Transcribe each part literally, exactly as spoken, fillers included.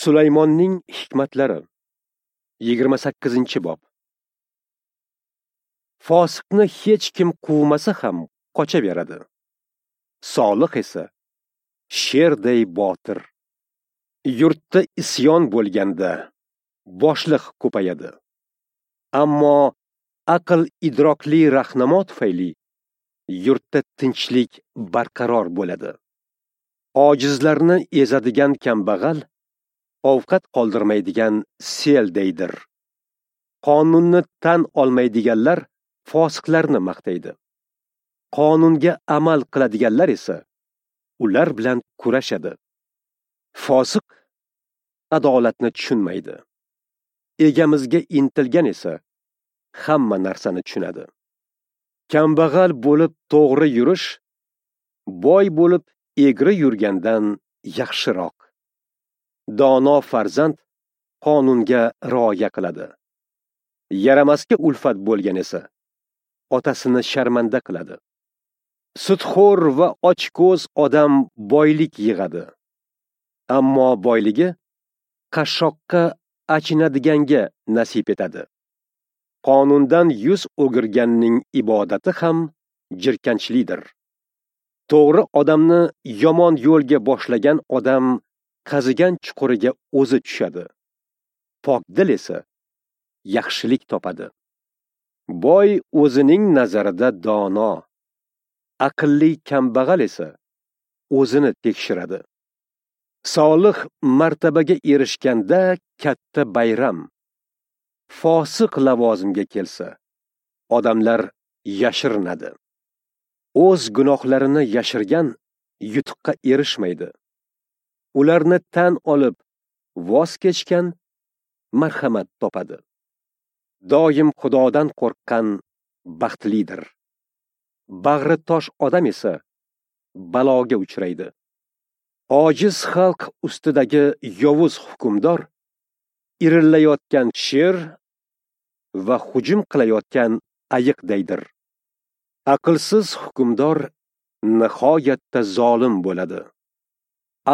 Sulaymonning hikmatlari yigirma sakkizinchi bob. Fosiqni hech kim quvmasa ham qochaveradi. Solih esa sherday botir. Yurtda isyon bo'lganda boshliq ko'payadi. Ammo aql idrokli rahnamo tufayli yurtda tinchlik barqaror bo'ladi. Ojizlarni ezadigan kambag'al ovqat qoldirmaydigan seldaydir. Qonunni tan olmaydiganlar fosiqlarni maqtaydi. Qonunga amal qiladiganlar esa ular bilan kurashadi. Fosiq adolatni tushunmaydi. Egamizga intilgan esa hamma narsani tushunadi. Kambag'al bo'lib to'g'ri yurish, boy bo'lib egri yurgandan yaxshiroq. Dono farzand qonunga rioya qiladi. Yaramasga ulfat bo'lgan esa otasini sharmanda qiladi. Sutxo'r va ochko'z odam boylik yig'adi. Ammo boyligi qashshoqqa achinadiganga nasib etadi. Qonundan yuz o'girganning ibodati ham jirkanchlidir. To'g'ri odamni yomon yo'lga boshlagan odam qazigan chuquriga o'zi tushadi. Pok dil esa yaxshilik topadi. Boy o'zining nazarida dono, aqlli kambag'al esa o'zini tekshiradi. Solih martabaga erishganda katta bayram. Fosiq lavozimga kelsa, odamlar yashirinadi. O'z gunohlarini yashirgan yutuqqa erishmaydi. Ularni tan olib voz kechgan marhamat topadi. Doim Xudodan qo'rqqan baxtlidir. Bag'ri tosh odam esa baloga uchraydi. Ojiz xalq ustidagi yovuz hukmdor irillayotgan sher va hujum qilayotgan ayiqdaydir. Aqlsiz hukmdor nihoyatda zolim bo'ladi.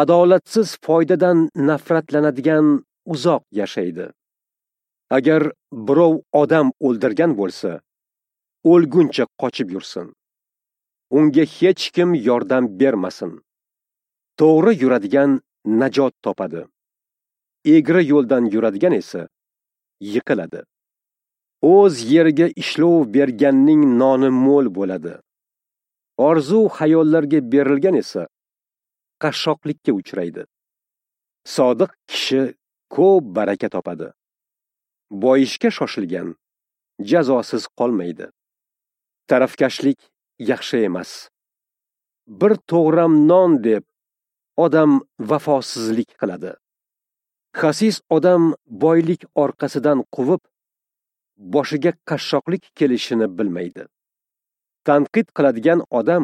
Adolatsiz foydadan nafratlanadigan uzoq yashaydi. Agar birov odam o'ldirgan bo'lsa, o'lguncha qochib yursin. Unga hech kim yordam bermasin. To'g'ri yuradigan najot topadi. Egri yo'ldan yuradigan esa yiqiladi. O'z yeriga ishlov berganning noni mo'l bo'ladi. Orzu xayollarga berilgan esa qashshoqlikka uchraydi. Sodiq kishi ko'p baraka topadi. Boyishga shoshilgan jazosiz qolmaydi. Tarafkashlik yaxshi emas. Bir to'g'ram non deb odam vafosizlik qiladi. Xasis odam boylik orqasidan quvib, boshiga qashshoqlik kelishini bilmaydi. Tanqid qiladigan odam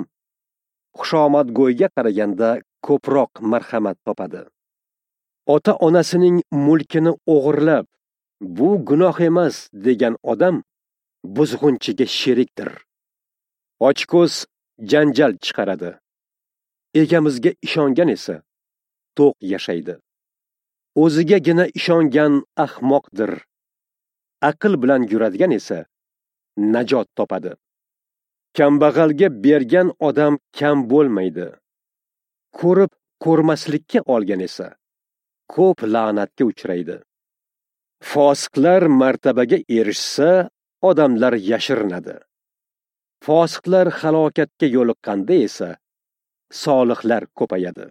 xushomadgo'yga qaraganda ko'proq marhamat topadi. Ota-onasining mulkini o'g'irlab, bu gunoh emas degan odam buzg'unchiga sherikdir. Ochko'z janjal chiqaradi. Egamizga ishongan esa to'q yashaydi. O'zigagina ishongan ahmoqdir. Aql bilan yuradigan esa najot topadi. Kambag'alga bergan odam kam bo'lmaydi. Ko'rib ko'rmaslikka olgan esa ko'p la'natga uchraydi. Fosiqlar martabaga erishsa, odamlar yashirinadi. Fosiqlar halokatga yo'liqqanda esa solihlar ko'payadi.